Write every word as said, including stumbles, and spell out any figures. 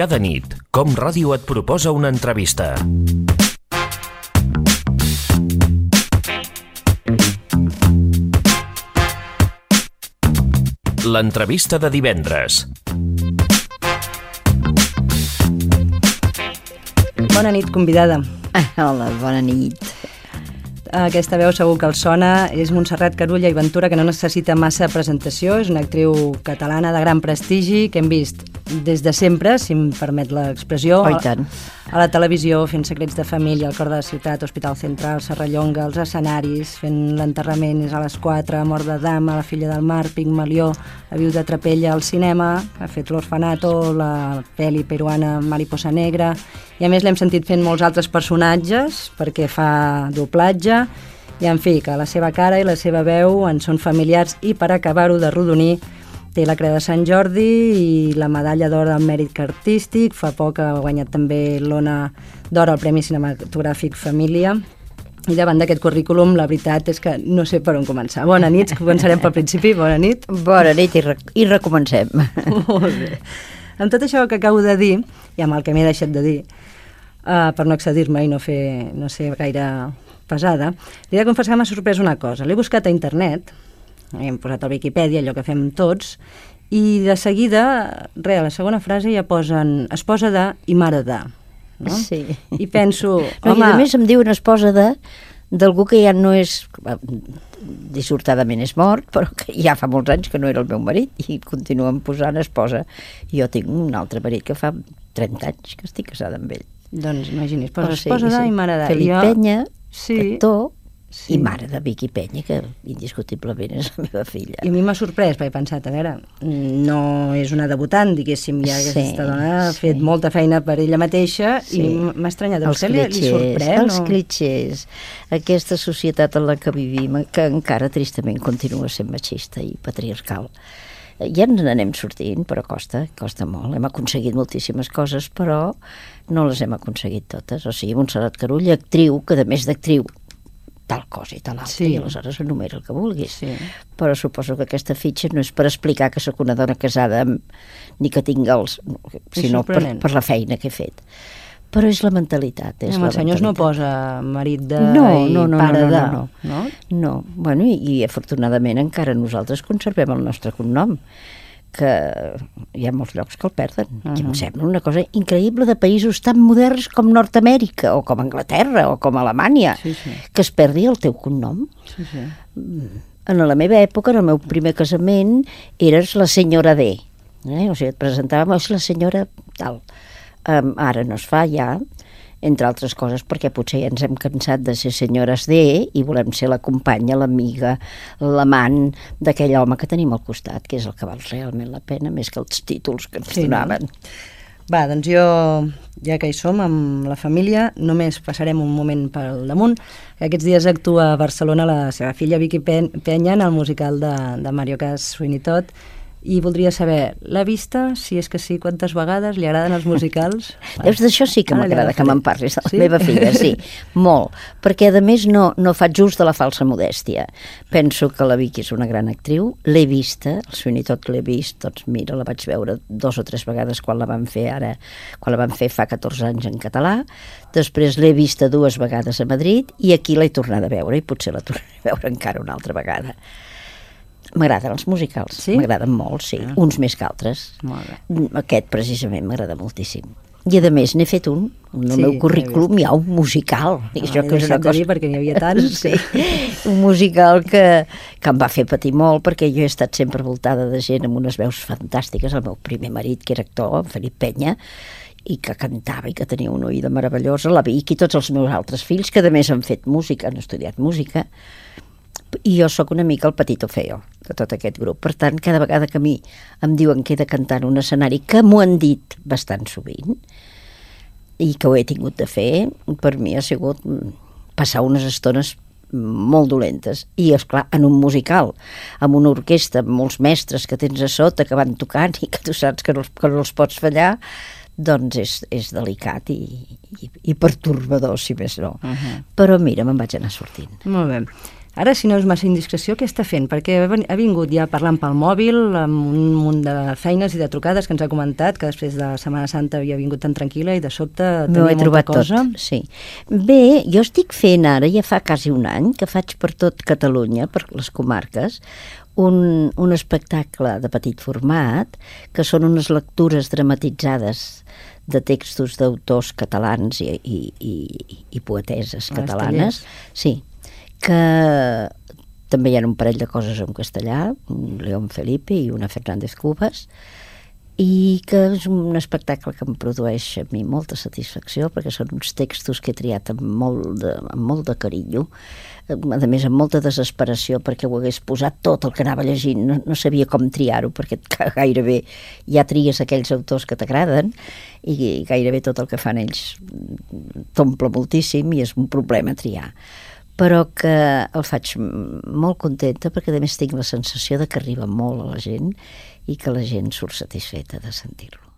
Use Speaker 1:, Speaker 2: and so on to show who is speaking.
Speaker 1: Cada nit, Com Ràdio et proposa una entrevista. L'entrevista de divendres.
Speaker 2: Bona nit, convidada.
Speaker 3: Hola, bona nit.
Speaker 2: Aquesta veu segur que els sona. És Montserrat Carulla i Ventura, que no necessita massa presentació. És una actriu catalana de gran prestigi que hem vist des de sempre, si em permet l'expressió,
Speaker 3: Oh, i tant.
Speaker 2: a la televisió, fent Secrets de família, al cor de la ciutat, Hospital Central, Serrallonga, els escenaris, fent l'enterrament, és a les quatre, Mort de dama, La filla del mar, Pigmalió, La viuda de Trapella, al cinema, ha fet L'orfanato, la pel·li peruana Mariposa negra, i a més l'hem sentit fent molts altres personatges, perquè fa doblatge, i en fi, que la seva cara i la seva veu en són familiars, i per acabar-ho de rodonir, té la Creu de Sant Jordi i la medalla d'or al mèrit artístic. Fa poc ha guanyat també l'Ona d'Or al Premi Cinematogràfic Família. I davant d'aquest currículum, la veritat és que no sé per on començar. Bona nit, començarem pel principi. Bona nit.
Speaker 3: Bona nit i, re i recomencem.
Speaker 2: Molt bé. Amb tot això que acabo de dir, i amb el que m'he deixat de dir, uh, per no excedir-me i no fer, no ser gaire pesada, li he de confessar que m'ha sorprès una cosa. L'he buscat a internet, hem posat al Wikipedia, allò que fem tots, i de seguida, re, a la segona frase ja posen esposa de i mare de, no?
Speaker 3: Sí.
Speaker 2: I penso,
Speaker 3: No,
Speaker 2: home...
Speaker 3: I a més em diuen esposa de d'algú que ja no és, dissortadament és mort, però que ja fa molts anys que no era el meu marit i continuen posant esposa. Jo tinc un altre marit que fa trenta anys que estic casada amb ell.
Speaker 2: Doncs imagini's, posa
Speaker 3: Però sí,
Speaker 2: esposa de
Speaker 3: sí.
Speaker 2: i mare de.
Speaker 3: Felip
Speaker 2: Jo...
Speaker 3: Penya,
Speaker 2: Sí.
Speaker 3: actor,
Speaker 2: Sí.
Speaker 3: i mare de Vicky Penya, que indiscutiblement és la meva filla.
Speaker 2: I a mi m'ha sorprès, perquè he pensat, a veure, no és una debutant, diguéssim, ja
Speaker 3: Sí,
Speaker 2: aquesta dona ha
Speaker 3: sí.
Speaker 2: fet molta feina per ella mateixa,
Speaker 3: Sí.
Speaker 2: i m'ha estranyat. A
Speaker 3: Els
Speaker 2: vostè li, li
Speaker 3: clitxers,
Speaker 2: sorprèn?
Speaker 3: els
Speaker 2: o...
Speaker 3: clitxers, aquesta societat en la que vivim, que encara tristament continua sent machista i patriarcal. Ja ens n'anem sortint, però costa, costa molt. Hem aconseguit moltíssimes coses, però no les hem aconseguit totes. O sigui, Montserrat Carulla, actriu, que a més d'actriu, tal cosa i tal altra,
Speaker 2: Sí.
Speaker 3: i aleshores enumera el que vulguis.
Speaker 2: Sí.
Speaker 3: Però suposo que aquesta fitxa no és per explicar que sóc una dona casada amb, ni que tinc els... sinó per,
Speaker 2: sorprenent.
Speaker 3: per la feina que he fet. Però és la mentalitat. És
Speaker 2: Amb
Speaker 3: la
Speaker 2: els senyors no
Speaker 3: mentalitat.
Speaker 2: posa marit de
Speaker 3: No,
Speaker 2: i
Speaker 3: no, no,
Speaker 2: pare
Speaker 3: no, no,
Speaker 2: de,
Speaker 3: no,
Speaker 2: no?
Speaker 3: No, bueno, i, i afortunadament encara nosaltres conservem el nostre cognom, que hi ha molts llocs que el perden. Uh-huh. I em sembla una cosa increïble de països tan moderns com Nord-Amèrica, o com Anglaterra, o com Alemanya,
Speaker 2: Sí, sí.
Speaker 3: que es perdi el teu cognom.
Speaker 2: Sí, sí.
Speaker 3: En la meva època, en el meu primer casament, eres la senyora D. Eh? O sigui, et presentàvem, és la senyora tal. Um, ara no es fa ja, entre altres coses perquè potser ja ens hem cansat de ser senyores D i volem ser la companya, l'amiga, l'amant d'aquell home que tenim al costat, que és el que val realment la pena, més que els títols que ens
Speaker 2: Sí, no?
Speaker 3: donaven.
Speaker 2: Va, doncs jo, ja que hi som amb la família, només passarem un moment pel damunt. Aquests dies actua a Barcelona la seva filla Vicky Pen- Penya en el musical de, de Mario Cas Sweeney Todd, i voldria saber, l'ha vista? Si és que sí, quantes vegades? Li agraden els musicals?
Speaker 3: Veus, d'això sí que
Speaker 2: Ara li
Speaker 3: m'agrada que
Speaker 2: agafaré.
Speaker 3: me'n parlis de la
Speaker 2: Sí?
Speaker 3: meva filla, sí, molt, perquè a més no, no faig ús de la falsa modèstia. Penso que la Vicky és una gran actriu, l'he vista, el Sweeney Todd l'he vist, doncs mira, la vaig veure dos o tres vegades quan la van fer ara, quan la van fer fa catorze anys en català, després l'he vista dues vegades a Madrid i aquí l'he tornada a veure i potser la tornaré a veure encara una altra vegada. M'agraden els musicals,
Speaker 2: Sí?
Speaker 3: m'agraden molt, sí,
Speaker 2: Ah.
Speaker 3: uns més que altres.
Speaker 2: Molt bé.
Speaker 3: Aquest precisament m'agrada moltíssim. I a més n'he fet un, en el
Speaker 2: Sí,
Speaker 3: meu
Speaker 2: l'he
Speaker 3: currículum hi ha un musical.
Speaker 2: No,
Speaker 3: I
Speaker 2: l'he
Speaker 3: això que és una
Speaker 2: deixat de
Speaker 3: cosa...
Speaker 2: dir perquè n'hi havia tants.
Speaker 3: Sí, un musical que, que em va fer patir molt perquè jo he estat sempre voltada de gent amb unes veus fantàstiques. El meu primer marit, que era actor, en Felip Penya, i que cantava i que tenia una oïda meravellosa, la Vicky i tots els meus altres fills, que a més han fet música, han estudiat música, i jo sóc una mica el petito feo de tot aquest grup. Per tant, cada vegada que a mi em diuen que he de cantar en un escenari, que m'ho han dit bastant sovint, i que ho he tingut de fer, per mi ha sigut passar unes estones molt dolentes. I, esclar, en un musical, amb una orquestra, amb molts mestres que tens a sota, que van tocant i que tu saps que no, que no els pots fallar, doncs és, és delicat i, i, i pertorbador, si més no. Uh-huh. Però mira, me'n vaig anar sortint.
Speaker 2: Molt bé. Ara, si no és massa indiscreció, què està fent? Perquè ha vingut ja parlant pel mòbil, amb un munt de feines i de trucades que ens ha comentat, que després de Setmana Santa havia vingut tan tranquil·la i de sobte tenia molta trobat cosa.
Speaker 3: Tot, sí. Bé, jo estic fent ara, ja fa quasi un any, que faig per tot Catalunya, per les comarques, un, un espectacle de petit format, que són unes lectures dramatitzades de textos d'autors catalans i, i, i, i poeteses catalanes. Sí, que també hi ha un parell de coses en castellà, un León Felipe i una Fernández Cubas, i que és un espectacle que em produeix a mi molta satisfacció, perquè són uns textos que he triat amb molt de, amb molt de carinyo, a més amb molta desesperació, perquè ho hagués posat tot el que anava llegint, no, no sabia com triar-ho, perquè gairebé ja tries aquells autors que t'agraden, i gairebé tot el que fan ells t'omple moltíssim i és un problema triar. Però que el faig molt contenta perquè a més tinc la sensació de que arriba molt a la gent i que la gent surt satisfeta de sentir-lo.